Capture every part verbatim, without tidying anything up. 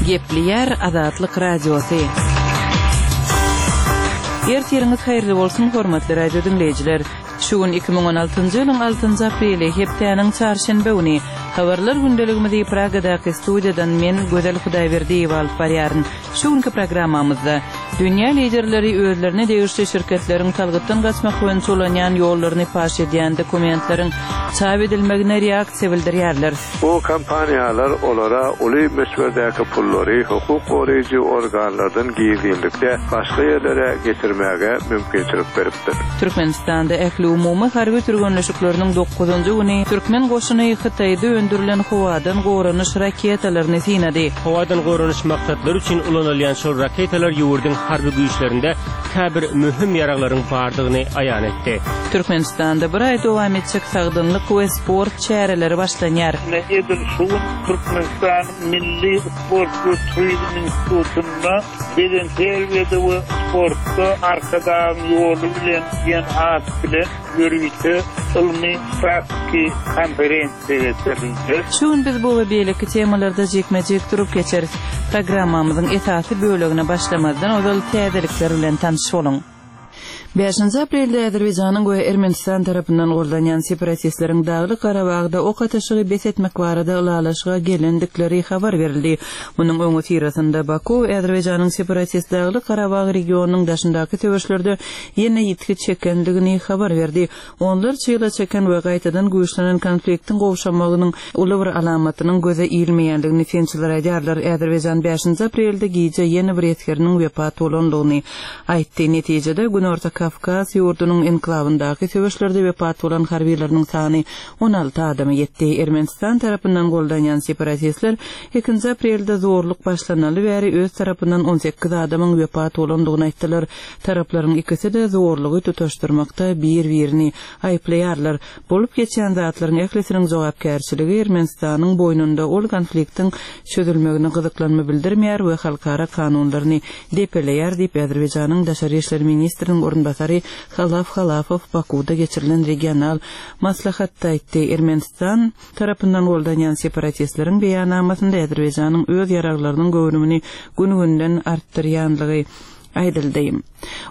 Gepleýär Azatlyk Radiosy. Ertiriňiz haýyrly bolsun, hormatly radio diňleýjiler. Şu gün iki müň on altynjy ýylyň altynjy apreli, hepdäniň çarşenbe güni. Habarlar gündeligimizi Pragadaky studiýadan men, Gözel Hudaýberdiýewa alyp barýaryn. Şu günki programmamyzda dünýä liderleri özlerine degişli şirketleriň salgytdan gaçmak boýunça ulanýan ýollaryny paş edýän dokumentleriň çap edilmegine reaksiýa bildirýärler. Bu kompaniýalar olara uly möçberdäki pullary hukuk goraýjy organlardan gizlinlikde başga ýerlere geçirmäge mümkinçilik beripdir. Türkmenistanda ähliumumy harby türgenleşikleriniň dokuzynjy güni türkmen goşuny Hytaýda öndürilen howadan goranyş raketalaryny synady. Howadan goranyş maksatlary üçin ulanylýan şol raketalar ýurduň harby güýçlerinde käbir möhüm ýaraglaryň bardygyny aýan etdi. Türkmenistanda bir aý dowam etjek sagdynlyk we sport çäreleri başlanýar. Ine edil şu gün Türkmenistanyň Milli sport we turizm institutynda bedenterbiýede we sportda Arkadagyň ýoly bilen diýen at bilen ýörite ylmy praktiki konferensiýa geçirildi. Şu gün biz bu we beýleki temalarda jikme-jik durup geçeris. Programmamyzyň esasy bölegine başlamazdan ozal täzelikler bilen tanyş boluň. Bäşinji aprelde Azerbaýjanyň we Ermenistan tarapyndan goldanýan separatistleriň Daglyk Garabagda ok atyşygy bes etmek barada ylalaşyga gelendikleri habar berildi. Munuň öňüsyrasynda Baku Azerbaýjanyň separatist Daglyk Garabag regionynyň daşyndaky söweşlerde ýene ýitgi çekendigini habar berdi. Onlarça ýyla çeken we gaýtadan güýçlenen konfliktiň gowşamagynyň uly bir alamatynyň göze ilmeýändigini synçylar aýdýarlar. Azerbaýjan bäşinji aprelde gije ýene bir esgeriniň wepat bolandygyny aýtdy. Netijede Günorta Kawkaz ýurdunyň enklawyndaky söweşlerde wepat bolan harbileriniň sany on alty adama ýetdi. Ermenistan tarapyndan goldanýan separatistler ikinji aprelde zorluk başlanaly bäri öz tarapyndan on sekiz adamyň wepat bolandygyny aýtdylar. Taraplaryň ikisi-de zorlugy tutaşdyrmakda bir-birini aýyplaýarlar. Bolup geçen zatlaryň ählisiniň jogapkärçiligi Ermenistanyň boýnunda ol konfliktiň çözülmegine gyzyklanma bildirmeýär we halkara kanunlaryny depeleýär diýip Azerbaýjanyň Daşary işler ministriniň orunbasary Halaf Halafow Bakuda geçirilen regional maslahatda aýtdy. Ermenistan tarapyndan goldanýan separatistleriň beýannamasynda Azerbaýjanyň öz ýaraglarynyň göwrümini gün-günden artdyrýanlygy aýdyldy.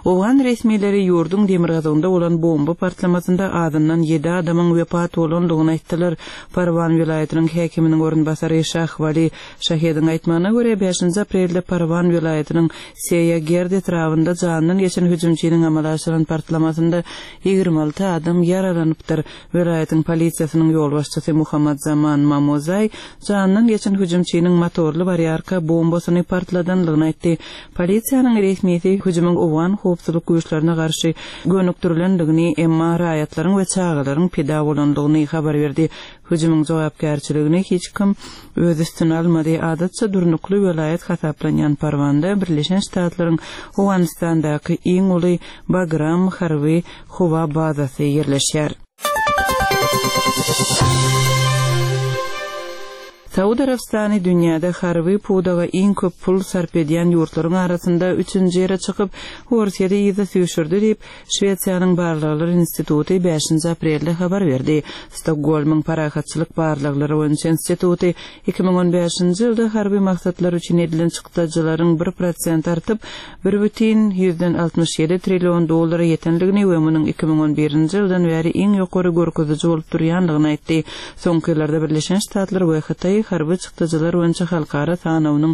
Owgan resmileri ýurduň demirgazygynda bolan bomba partlamasynda azyndan ýedi adamyň wepat bolandygyny aýtdylar. Parwan welaýatynyň häkiminiň orunbasary Şahwali Şahediň aýtmagyna görä bäşinji aprelde Parwan welaýatynyň Seýa Gerd etrabynda jandan geçen hüjümçiniň amala aşyran partlamasynda ýigrimi alty adam ýaralanypdyr. Welaýatyň polisiýasynyň ýolbaşçysy Muhammad Zaman Mamozay jandan geçen hüjümçiniň motorly barýarka bombasyny partladanlygyny aýtdy. Polisiýanyň resmisi hüjümiň owgan howpsuzlyk güýçlerine garşy gönükdirilendigini, emma raýatlaryň we çagalaryň pida bolandygyny habar berdi. Hüjümiň jogapkärçiligini hiç kim öz üstüne almady. Adatça durnukly welaýat hasaplanýan Parwanda Birleşen Ştatlaryň Owganystandaky iň uly Bagram harby howa bazasy ýerleşýär. Saud Arabystany dünýäde harby pudaga iň köp pul sarp edýän ýurtlaryň arasynda üçünji ýere çykyp, Orsýeti yza süýşürdi diýip, Şwesiýanyň Barlaglar instituty bäşinji aprelde habar berdi. Stokgolmyň Parahatçylyk barlaglary boýunça instituty iki müň on bäşinji ýylda harby maksatlar üçin edilen çykdajylaryň bir prosent artyp, bir bütin ýüzden altmyş ýedi trillion dollara ýetenligini we munuň iki müň on birinji ýyldan bäri iň ýokary görkeziji bolup durýanlygyny aýtdy. Soňky ýyllarda Birleşen Ştatlar we Hytaý harby çykdajylar boýunça halkara sanawynyň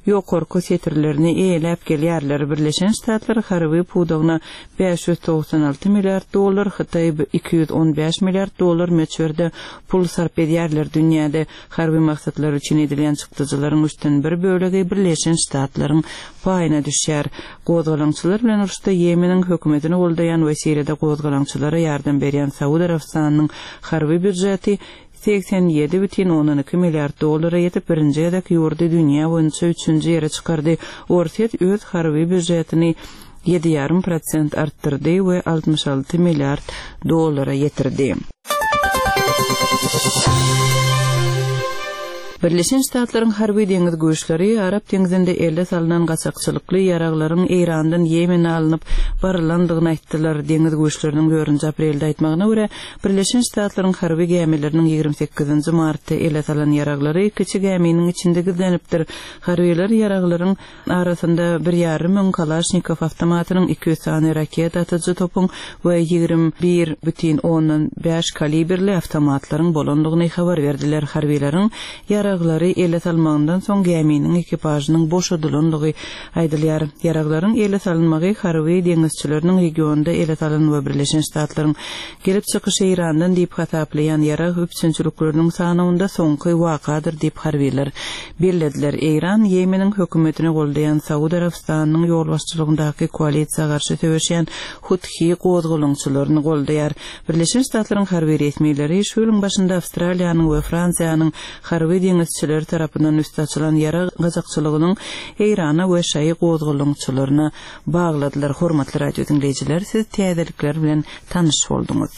ýokarky setirlerini eýeläp gelýärler. Birleşen Ştatlar harby pudagyna bäş ýüz togsan alty milliard dollar, Hytaý iki ýüz on bäş milliard dollar möçberde pul sarp edýärler. Dünýäde harby maksatlar üçin edilýän çykdajylaryň üçden bir bölegi Birleşen Ştatlaryň paýyna düşýär. Gozgalaňçylar bilen uruşda Ýemeniň hökümetini goldaýan we Siriýada gozgalaňçylara ýardam berýän Saud Arabystanynyň harby býujeti seksen ýedi bütin ondan iki milliard dollara ýetip, birinji gezek ýurdy dünýä boýunça üçünji ýere çykardy. Orsýet öz harby býujetini ýedi ýarym prosent artdyrdy we altmyş alty milliard dollara ýetirdi. Birleşen Ştatlaryň harby deňiz güýçleri Arap deňzinde ele salnan gaçakçylykly ýaraglaryň Eýrandan Ýemene alnyp barylandygyny aýtdylar. Deňiz güýçleriniň dördünji aprelde aýtmagyna görä, Birleşen Ştatlaryň harby gämileriniň ýigrimi sekizinji martda ele salan ýaraglary kiçi gäminiň içinde gizlenipdir. Harbylar ýaraglaryň arasynda bir ýarym müň Kalaşnikow awtomatynyň, iki ýüz sany raketa atyjy topuň we ýigrimi bir bütin ondan bäş kalibrli awtomatlaryň bolandygyny habar berdiler. Harbylaryň ýaraglary ele salmagyndan soň gäminiň ekipažynyň boşadylandygy aýdylýar. Ýaraglaryň ele salynmagy harby deňizçileriniň regionda ele salan we Birleşen Ştatlaryň gelip çykyşy Eýrandan diýip hasaplaýan ýarag üpjünçilikleriniň sanawynda soňky wakadyr diýip harbylar bellediler. Eýran Ýemeniň hökümetini goldaýan Saud Arabystanynyň ýolbaşçylygyndaky koalisiýa garşy söweşýän Huthi gozgalaňçylaryny goldaýar. Birleşen Ştatlaryň harby resmileri şu ýylyň başynda Awstraliýanyň we Fransiýanyň harby deňizçileri tarapyndan üsti açylan ýarag gaçakçylygynyň Eýrana we şaýy gozgalaňçylaryna bagladylar. Hormatly radio diňleýjiler, siz täzelikler bilen tanyş bolduňyz.